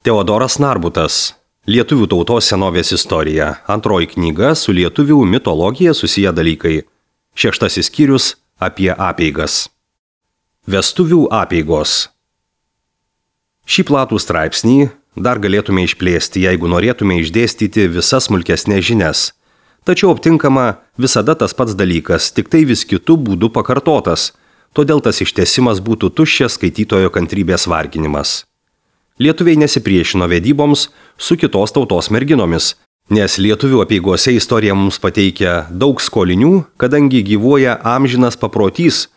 Teodoras Narbutas. Lietuvių tautos senovės istorija. Antroji knyga su lietuvių mitologija susiję dalykai. 6 skyrius apie apeigas. Vestuvių apeigos. Šį platų straipsnį dar galėtume išplėsti, jeigu norėtume išdėstyti visas smulkesnės žinias. Tačiau aptinkama visada tas pats dalykas, tik tai vis kitų būdų pakartotas, todėl tas ištęsimas būtų tuščias skaitytojo kantrybės varginimas. Lietuviai nesipriešino vedyboms su kitos tautos merginomis, nes lietuvių apeigose istorija mums pateikia daug skolinių, kadangi gyvuoja amžinas paprotys,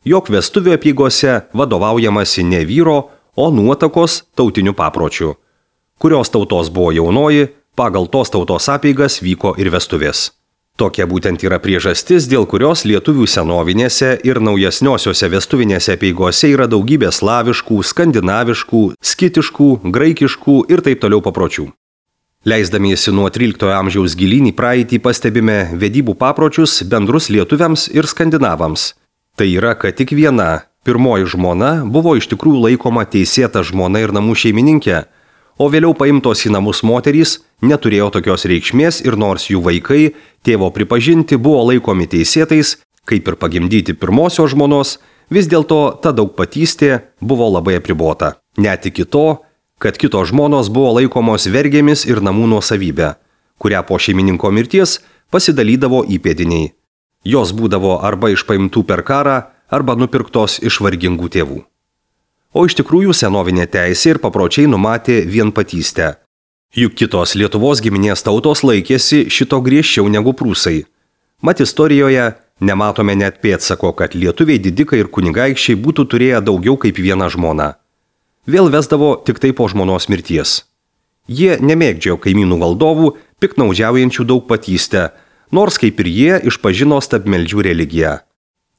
jog vestuvių apeigose vadovaujamasi ne vyro, o nuotakos tautinių papročių. Kurios tautos buvo jaunoji, pagal tos tautos apeigas vyko ir vestuvės. Tokia būtent yra priežastis, dėl kurios lietuvių senovinėse ir naujesniosiose vestuvinėse apeigose yra daugybė slaviškų, skandinaviškų, skitiškų, graikiškų ir taip toliau papročių. Leisdamiesi nuo 13 amžiaus gilyn į praeitį pastebime vedybų papročius bendrus lietuviams ir skandinavams. Tai yra, kad tik viena, pirmoji žmona buvo iš tikrųjų laikoma teisėta žmona ir namų šeimininkė, o vėliau paimtos į namus moterys neturėjo tokios reikšmės ir nors jų vaikai, tėvo pripažinti, buvo laikomi teisėtais, kaip ir pagimdyti pirmosios žmonos, vis dėlto ta daugpatystė buvo labai apribota. Net iki to, kad kitos žmonos buvo laikomos vergėmis ir namų nuosavybė, kurią po šeimininko mirties pasidalydavo įpėdiniai. Jos būdavo arba išpaimtų per karą, arba nupirktos iš vargingų tėvų. O iš tikrųjų senovinė teisė ir papročiai numatė vienpatystę. Juk kitos Lietuvos giminės tautos laikėsi šito griežčiau negu prūsai. Mat istorijoje nematome net pėdsako, kad lietuviai didikai ir kunigaikščiai būtų turėję daugiau kaip vieną žmoną. Vėl vesdavo tik tai po žmonos mirties. Jie nemėgdžiojo kaimynų valdovų, piktnaudžiaujančių daugpatystę, nors kaip ir jie išpažino stabmeldžių religiją.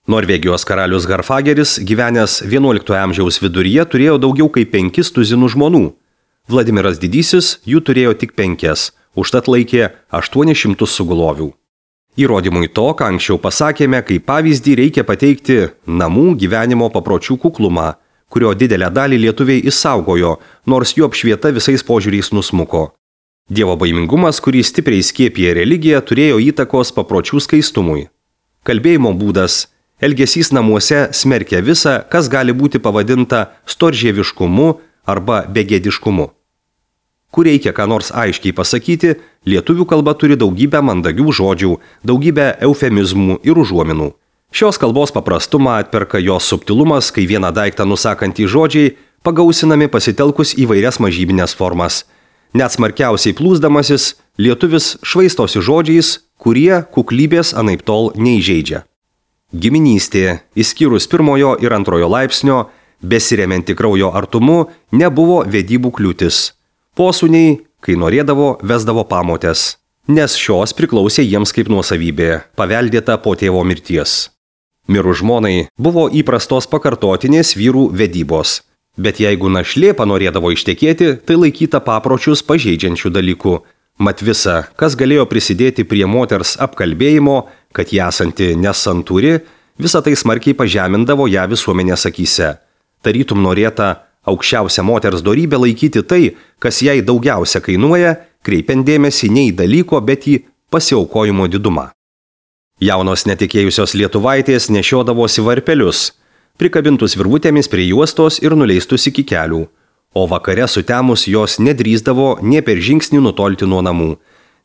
Norvegijos karalius Garfageris, gyvenęs 11 amžiaus viduryje, turėjo daugiau kaip 5 tuzinų žmonų. Vladimiras Didysis jų turėjo tik 5, užtat laikė 800 sugulovių. Įrodymui to, ką anksčiau pasakėme, kaip pavyzdį reikia pateikti namų gyvenimo papročių kuklumą, kurio didelę dalį lietuviai išsaugojo, nors jų apšvieta visais požiūriais nusmuko. Dievo baimingumas, kurį stipriai skiepė religija, turėjo įtakos papročių skaistumui. Kalbėjimo būdas, elgesys namuose smerkia visą, kas gali būti pavadinta storžieviškumu arba begėdiškumu. Kur reikia ką nors aiškiai pasakyti, lietuvių kalba turi daugybę mandagių žodžių, daugybę eufemizmų ir užuominų. Šios kalbos paprastumą atperka jos subtilumas, kai vieną daiktą nusakantys žodžiai pagausinami pasitelkus įvairias mažybinės formas. Net smarkiausiai plūsdamasis, lietuvis švaistosi žodžiais, kurie kuklybės anaiptol neįžeidžia. Giminystė, išskyrus 1 ir 2 laipsnio, besiremianti kraujo artumu, nebuvo vedybų kliūtis. Posūniai, kai norėdavo, vesdavo pamotės, nes šios priklausė jiems kaip nuosavybė, paveldėta po tėvo mirties. Mirus žmonai buvo įprastos pakartotinės vyrų vedybos, bet jeigu našlė panorėdavo ištekėti, tai laikyta papročius pažeidžiančių dalykų. Mat visa, kas galėjo prisidėti prie moters apkalbėjimo, kad ją esanti nesantūri, visą tai smarkiai pažemindavo ją visuomenės akyse. Tarytum norėta aukščiausią moters dorybę laikyti tai, kas jai daugiausia kainuoja, kreipiant dėmesį ne į dalyko, bet į pasiaukojimo didumą. Jaunos netikėjusios lietuvaitės nešiodavosi varpelius, prikabintus virvutėmis prie juostos ir nuleistus iki kelių, o vakare sutemus jos nedrįsdavo nė per žingsnį nutolti nuo namų.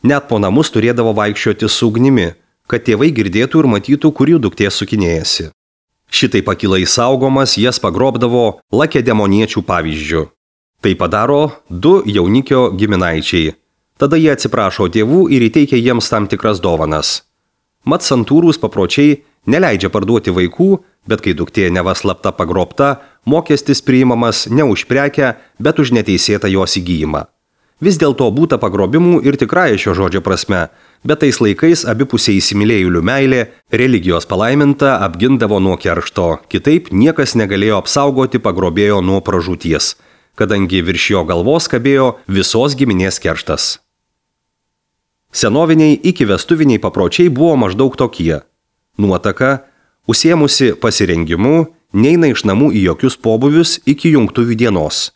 Net po namus turėdavo vaikščioti su ugnimi, kad tėvai girdėtų ir matytų, kur jų duktė sukinėjasi. Šitai pakilai saugomas jas pagrobdavo lakedemoniečių pavyzdžių. Tai padaro 2 jaunikio giminaičiai. Tada jie atsiprašo tėvų ir įteikia jiems tam tikras dovanas. Mat santūrūs papročiai neleidžia parduoti vaikų, bet kai duktė neva slapta pagrobta, mokestis priimamas ne už prekę, bet už neteisėtą jos įgyjimą. Vis dėlto būta pagrobimų ir tikrąja šio žodžio prasme, bet tais laikais abipusiai įsimylėjėlių meilė, religijos palaiminta apgindavo nuo keršto, kitaip niekas negalėjo apsaugoti pagrobėjo nuo pražūties, kadangi virš jo galvos kabėjo visos giminės kerštas. Senoviniai iki vestuviniai papročiai buvo maždaug tokie. Nuotaka, užsiėmusi pasirengimu, neina iš namų į jokius pobūvius iki jungtuvių dienos.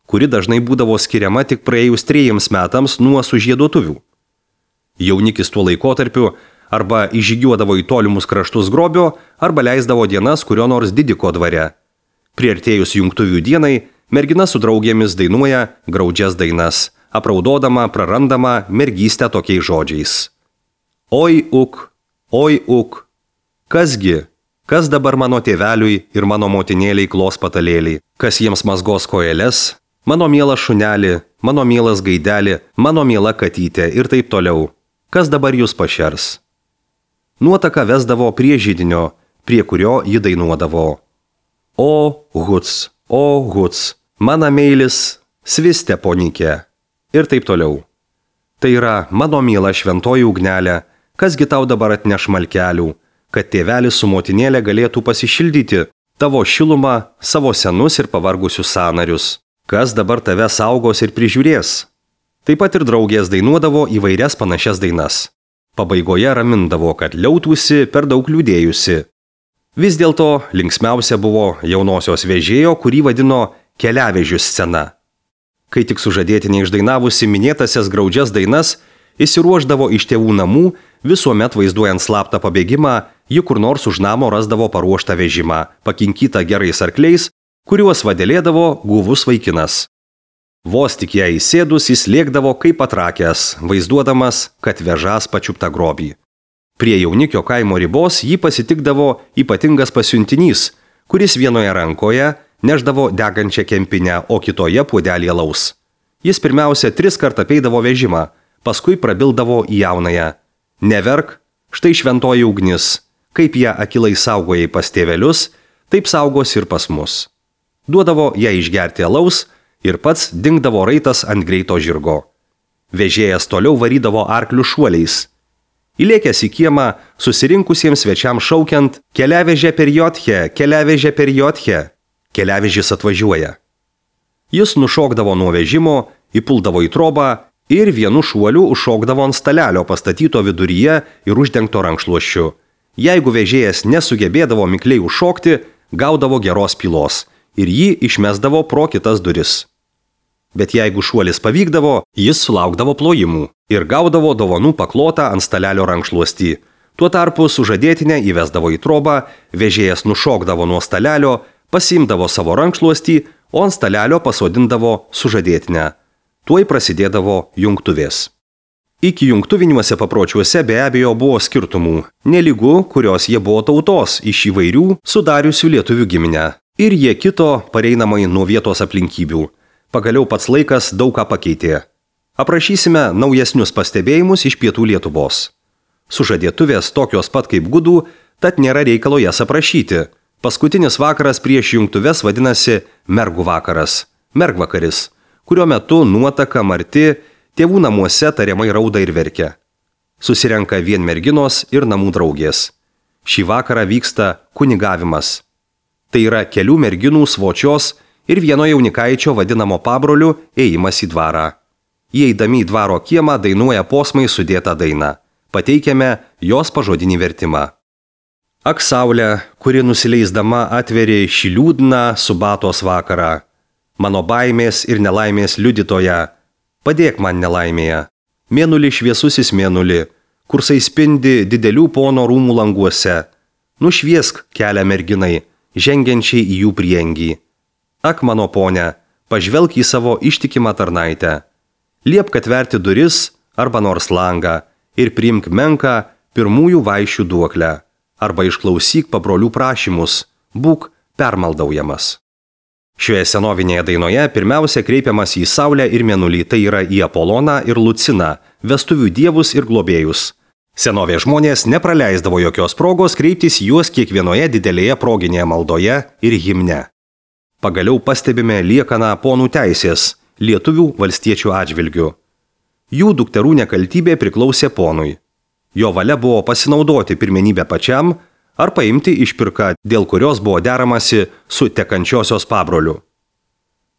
kuri dažnai būdavo skiriama tik praėjus 3 metams nuo sužieduotuvių. Jaunikis tuo laikotarpiu arba įžygiuodavo į tolimus kraštus grobio, arba leisdavo dienas kurio nors didiko dvare. Priartėjus jungtuvių dienai, mergina su draugėmis dainuoja graudžias dainas, apraudodama prarandama mergystę tokiais žodžiais. Oi uk, kasgi, kas dabar mano tėveliui ir mano motinėliai klos patalėlį, kas jiems mazgos kojeles, mano mielas šunelį, mano mielas gaidelį, mano miela katytė ir taip toliau, kas dabar jūs pašers. Nuotaka vesdavo prie židinio, prie kurio ji dainuodavo. O huc, mana meilis, sviste ponikė. Ir taip toliau. Tai yra mano miela šventoji ugnelė, kasgi tau dabar atneš malkelių, kad tėvelis su motinėlė galėtų pasišildyti tavo šilumą, savo senus ir pavargusius sąnarius. Kas dabar tave saugos ir prižiūrės? Taip pat ir draugės dainuodavo įvairias panašias dainas. Pabaigoje ramindavo, kad liautųsi per daug liūdėjusi. Vis dėlto linksmiausia buvo jaunosios vežėjo, kurį vadino keliavežių scena. Kai tik sužadėtinė išdainavusi minėtasias graudžias dainas, įsiruošdavo iš tėvų namų, visuomet vaizduojant slaptą pabėgimą, ji kur nors už namo rasdavo paruoštą vežimą, pakinkytą gerais arkliais, kuriuos vadėlėdavo guvus vaikinas. Vos tik ją įsėdus, jis lėkdavo kaip atrakęs, vaizduodamas, kad vežas pačiuptą grobį. Prie jaunikio kaimo ribos jį pasitikdavo ypatingas pasiuntinys, kuris vienoje rankoje neždavo degančią kempinę, o kitoje puodelį alaus. Jis pirmiausia 3 kartą apeidavo vežimą, paskui prabildavo į jaunąją. Neverk, štai šventoji ugnis, kaip ją akilai saugojai pas tėvelius, taip saugos ir pas mus. Duodavo ją išgerti alaus ir pats dingdavo raitas ant greito žirgo. Vežėjas toliau varydavo arklių šuoliais. Įlėkęs į kiemą, susirinkusiems svečiams šaukiant keliavežė per jotche, keliavežis atvažiuoja. Jis nušokdavo nuo vežimo, įpuldavo į trobą ir vienu šuoliu užšokdavo ant stalelio pastatyto viduryje ir uždengto rankšluosčiu. Jeigu vežėjas nesugebėdavo mikliai užšokti, gaudavo geros pylos ir jį išmesdavo pro kitas duris. Bet jeigu šuolis pavykdavo, jis sulaukdavo plojimų ir gaudavo dovanų paklotą ant stalelio rankšluostį. Tuo tarpu sužadėtinę įvesdavo į trobą, vežėjas nušokdavo nuo stalelio, pasiimdavo savo rankšluostį, o ant stalelio pasodindavo sužadėtinę. Tuoj prasidėdavo jungtuvės. Iki jungtuviniuose papročiuose be abejo buvo skirtumų, nelygu, kurios jie buvo tautos iš įvairių sudariusių lietuvių giminę. Ir jie kito pareinamai nuo vietos aplinkybių. Pagaliau pats laikas daug ką pakeitė. Aprašysime naujesnius pastebėjimus iš pietų Lietuvos. Sužadėtuvės tokios pat kaip gudų, tad nėra reikalo jas aprašyti. Paskutinis vakaras prieš jungtuves vadinasi mergų vakaras, mergvakaris, kurio metu nuotaka marti, tėvų namuose tariamai rauda ir verkia. Susirenka vien merginos ir namų draugės. Šį vakarą vyksta kunigavimas. Tai yra kelių merginų svočios ir vieno jaunikaičio vadinamo pabroliu ėjimas į dvarą. Įeidami į dvaro kiemą dainuoja posmai sudėtą dainą. Pateikiame jos pažodinį vertimą. Ak saulė, kuri nusileisdama atveri šį liūdną subatos vakarą. Mano baimės ir nelaimės liudytoja, padėk man nelaimėje. Mėnulį šviesusis mėnulį, kursai spindi didelių pono rūmų languose. Nušviesk kelią merginai, žengiančiai į jų priengį. Ak mano ponia, pažvelk į savo ištikimą tarnaitę. Liepk atverti duris arba nors langą ir priimk menką pirmųjų vaišių duoklę. Arba išklausyk pabrolių prašymus, būk permaldaujamas. Šioje senovinėje dainoje pirmiausia kreipiamas į Saulę ir Mėnulį, tai yra į Apoloną ir Luciną, vestuvių dievus ir globėjus. Senovės žmonės nepraleisdavo jokios progos kreiptis juos kiekvienoje didelėje proginėje maldoje ir himne. Pagaliau pastebime liekaną ponų teisės, lietuvių valstiečių atžvilgių. Jų dukterų nekaltybė priklausė ponui. Jo valia buvo pasinaudoti pirmenybę pačiam ar paimti išpirką, dėl kurios buvo deramasi su tekančiosios pabroliu.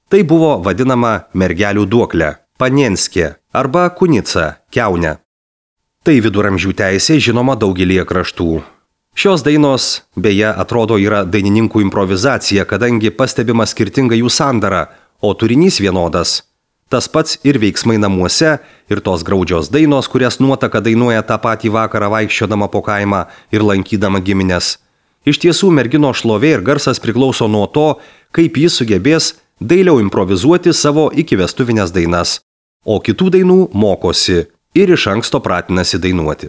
Tai buvo vadinama mergelių duoklė, panienskė arba kunica, kiaunė. Tai viduramžių teisė žinoma daugelį kraštų. Šios dainos, beje, atrodo yra dainininkų improvizacija, kadangi pastebima skirtinga jų sandara, o turinys vienodas. Tas pats ir veiksmai namuose, ir tos graudžios dainos, kurias nuotaka dainuoja tą patį vakarą vaikščiodama po kaimą ir lankydama giminės. Iš tiesų, mergino šlovė ir garsas priklauso nuo to, kaip jis sugebės dailiau improvizuoti savo ikivestuvinės dainas, o kitų dainų mokosi ir iš anksto pratinasi dainuoti.